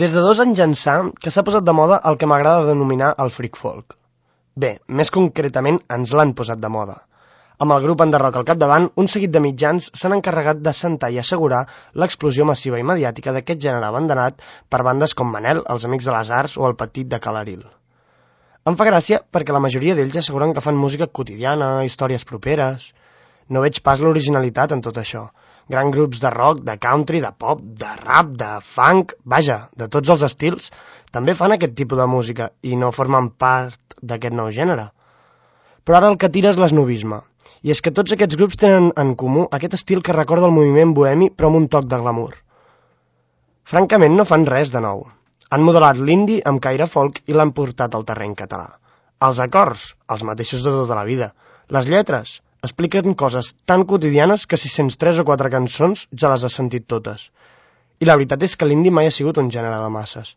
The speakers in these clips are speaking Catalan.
Des de 2 anys ençà que s'ha posat de moda el que m'agrada denominar el freak folk. Bé, més concretament ens l'han posat de moda. Amb el grup Enderrock al capdavant, un seguit de mitjans s'han encarregat d'assentar i assegurar l'explosió massiva i mediàtica d'aquest gènere abandonat per bandes com Manel, Els Amics de les Arts o El Petit de Calaril. Em fa gràcia perquè la majoria d'ells asseguren que fan música quotidiana, històries properes. No veig pas l'originalitat en tot això. Grans grups de rock, de country, de pop, de rap, de funk, vaja, de tots els estils, també fan aquest tipus de música i no formen part d'aquest nou gènere. Però ara el que tira és l'esnovisme, i és que tots aquests grups tenen en comú aquest estil que recorda el moviment bohemi però amb un toc de glamour. Francament no fan res de nou. Han modelat l'indie amb caire folk i l'han portat al terreny català. Els acords, els mateixos de tota la vida. Les lletres, expliquen coses tan quotidianes que si sents 3 o 4 cançons ja les has sentit totes. I la veritat és que l'indie mai ha sigut un gènere de masses.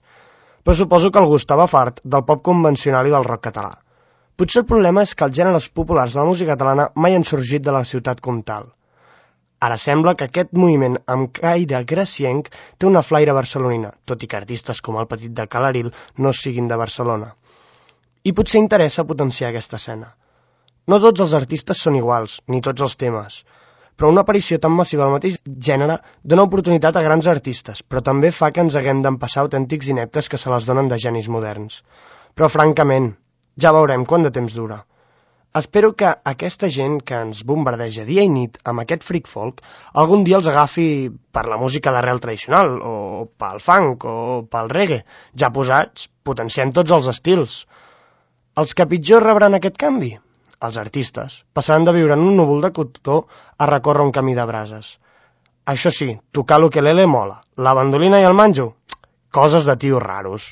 Però suposo que algú estava fart del pop convencional i del rock català. Potser el problema és que els gèneres populars de la música catalana mai han sorgit de la ciutat comtal. Ara sembla que aquest moviment amb caire gracienc té una flaire barcelonina, tot i que artistes com El Petit de Calaril no siguin de Barcelona. I potser interessa potenciar aquesta escena. No tots els artistes són iguals, ni tots els temes, però una aparició tan massiva del mateix gènere dona oportunitat a grans artistes, però també fa que ens haguem d'empassar autèntics ineptes que se les donen de genis moderns. Però francament, ja veurem quant de temps dura. Espero que aquesta gent que ens bombardeja dia i nit amb aquest freak folk algun dia els agafi per la música d'arrel tradicional, o pel funk, o pel reggae. Ja posats, potenciem tots els estils. Els que pitjor rebran aquest canvi? Els artistes passaran de viure en un núvol de cotó a recórrer un camí de brases. Això sí, tocar l'ukelele mola. La bandolina i el manjo? Coses de tios raros.